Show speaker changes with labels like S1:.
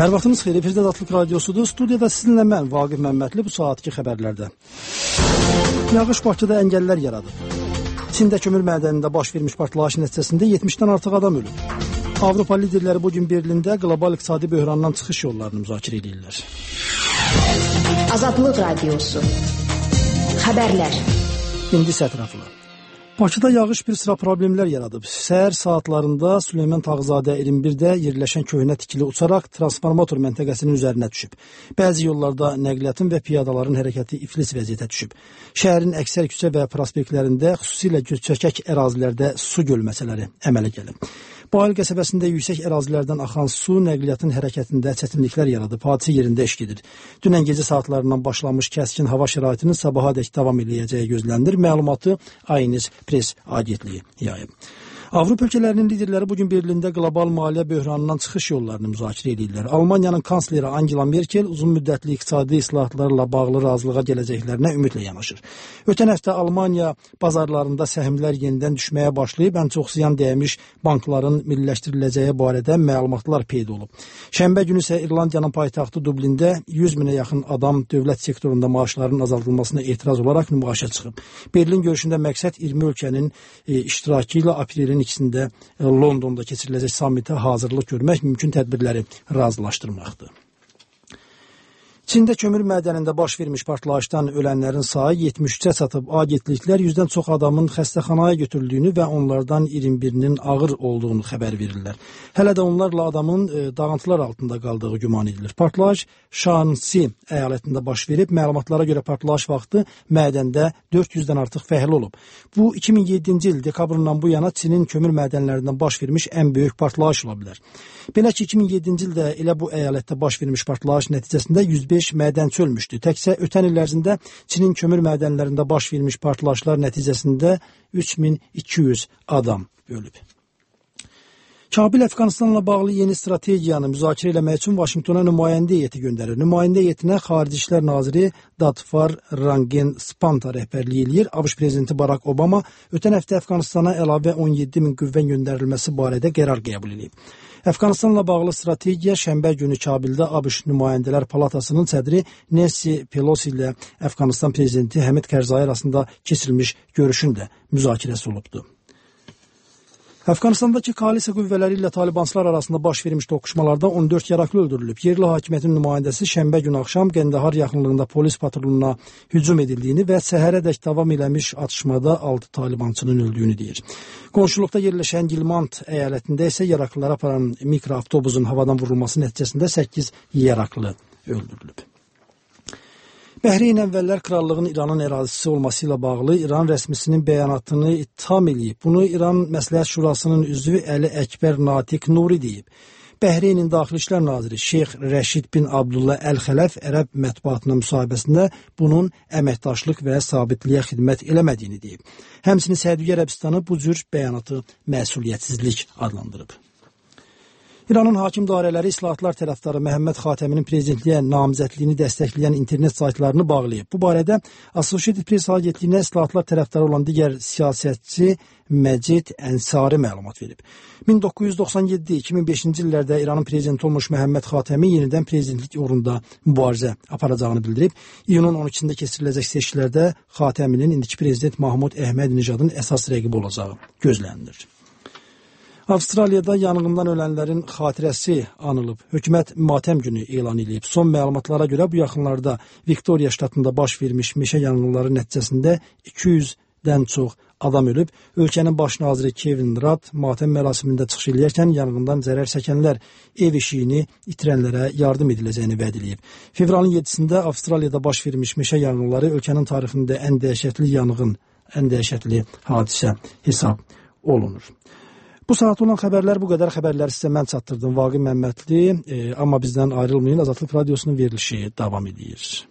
S1: Hər vaxtınız xeyir, Efirdə Azadlıq Radiosudur. Studiyada sizinlə mən, Vaqif Məmmədli, bu saatki xəbərlərdə. Yağış Bakıda əngəllər yaradıb. Çində kömür mədənində baş vermiş partlayış nəticəsində 70-dən artıq adam ölüb. Avropa liderləri bugün Berlində qlobal iqtisadi böhrandan çıxış yollarını müzakirə edirlər.
S2: Azadlıq Radiosu. Xəbərlər.
S1: İndi sətraflı. Bakıda yağış bir sıra problemlər yaradıb. Səhər saatlarında Süleyman Tağızadə 21-də yerləşən köhnə tikili uçaraq transformator məntəqəsinin üzərinə düşüb. Bəzi yollarda nəqliyyatın və piyadaların hərəkəti iflis vəziyyətə düşüb. Şəhərin əksər küçə və prospektlərində, xüsusilə göçəkək ərazilərdə su gölməçələri əmələ gəlib. Bayıl qəsəbəsində yüksək ərazilərdən axan su nəqliyyatın hərəkətində çətinliklər yaradıb. Hadisə yerində iş gedir. Dünən gecə saatlarından başlamış kəskin hava şəraitinin sabahadək davam edəcəyi gözlənilir. Məlumatı Aynis Press agentliyi yayıb. Avropa ölkələrinin liderləri bugün Berlində qlobal maliyyə böhranından çıxış yollarını müzakirə edirlər. Almaniyanın kansleri Angela Merkel uzun müddətli iqtisadi islahatlarla bağlı razılığa gələcəklərinə ümidlə yanaşır. Ötən həftə Almaniya bazarlarında səhmlər yenidən düşməyə başlayıb, ən çox ziyan dəymiş bankların milliləşdiriləcəyi barədə məlumatlar peyda olub. Şənbə günü isə İrlandiyanın paytaxtı Dublində 100 minə yaxın adam dövlət sektorunda maaşlarının azaldılmasına etiraz olaraq nümayişə çıxıb. Berlin görüşündə məqsəd 20 ölkənin iştirakı ilə aprelin ikisində Londonda keçiriləcək sammitə hazırlıq görmək, mümkün tədbirləri razılaşdırmaqdır. Çində kömür mədənində baş vermiş partlayışdan ölənlərin sayı 73-ə çatıb. Agentliklər 100-dən çox adamın xəstəxanaya götürüldüyünü və onlardan 21-nin ağır olduğunu xəbər verirlər. Hələ də onlarla adamın dağıntılar altında qaldığı güman edilir. Partlayış Şansi əyalətində baş verib. Məlumatlara görə partlayış vaxtı mədəndə 400-dən artıq fəhlə olub. Bu 2007-ci il dekabrından bu yana Çinin kömür mədənlərindən baş vermiş ən böyük partlayış ola bilər. Belə ki, 2007-ci ildə elə bu əyalətdə baş vermiş partlayış nəticəsində 105 mədənçi ölmüşdü. Təkcə ötən il ərzində Çinin kömür mədənlərində baş vermiş partlayışlar nəticəsində 3200 adam ölüb. Kabil Əfqanistanla bağlı yeni strategiyanı müzakirə eləmək üçün Vaşinqtona nümayəndə heyəti göndərir. Nümayəndə heyətinə Xarici İşlər Naziri Dadfar Rangen Spanta rəhbərliyi eləyir. ABŞ prezidenti Barack Obama ötən həftə Əfqanistana əlavə 17 min qüvvə göndərilməsi barədə qərar qəbul edib. Əfqanistanla bağlı strategiya şənbə günü Kabildə ABŞ Nümayəndələr Palatasının sədri Nancy Pelosi ilə Əfqanistan prezidenti Həmid Kərzai arasında keçirilmiş görüşün də müzakirəsi olubdu. Əfqanistandakı koalisiya qüvvələri ilə talibanslar arasında baş vermiş toqquşmalarda 14 yaraklı öldürülüb. Yerli hakimiyyətin nümayəndəsi şənbə günü axşam Qəndahar yaxınlığında polis patruluna hücum edildiyini və səhərədək davam eləmiş atışmada 6 talibançının öldüyünü deyir. Qonşuluqda yerləşən Gilmand əyalətində isə yaraklılara aparan mikroavtobusun havadan vurulması nəticəsində 8 yaraklı öldürülüb. Bəhreyn əvvəllər krallığın İranın ərazisi olması ilə bağlı İran rəsmisinin bəyanatını ittiham edib. Bunu İran Məsləhət Şurasının üzvü Əli Əkbər Natiq Nuri deyib. Bəhreyn Daxili İşlər Naziri Şeyx Rəşid bin Abdullah Əl-Xələf ərəb mətbuatına müsahibəsində bunun əməkdaşlıq və sabitliyə xidmət eləmədiyini deyib. Həmçinin Səudiyyə Ərəbistanı bu cür bəyanatı məsuliyyətsizlik adlandırıb. İranın hakim dairələri islahatlar tərəfdarı Məhəmməd Xatəminin prezidentliyə namizədliyini dəstəkləyən internet saytlarını bağlayıb. Bu barədə Associated Press agentliyinə islahatlar tərəfdarı olan digər siyasətçi Məcid Ənsari məlumat verib. 1997-2005-ci illərdə İranın prezidenti olmuş Məhəmməd Xatəmi yenidən prezidentlik uğrunda mübarizə aparacağını bildirib. İyunun 12-də keçiriləcək seçkilərdə Xatəminin indiki prezident Mahmud Əhməd-Nijadın əsas rəqibi olacağı gözlənilir. Avstraliyada yanğından ölənlərin xatirəsi anılıb. Hökumət matəm günü elan edib. Son məlumatlara görə bu yaxınlarda Viktoriya ştatında baş vermiş meşə yanğınları nəticəsində 200-dən çox adam ölüb. Ölkənin baş naziri Kevin Rudd matəm mərasimində çıxış edərkən yanğından zərər çəkənlər ev eşiyini itirənlərə yardım ediləcəyini vəd edib. Fevralın 7-də Avstraliyada baş vermiş meşə yanğınları ölkənin tarixində ən dəhşətli hadisə hesab olunur. Bu saat olan xəbərlər bu qədər. Xəbərləri sizə mən çatdırdım. Vaqif Məmmədli. Amma bizdən ayrılmayın. Azadlıq Radiosunun verilişi davam edir.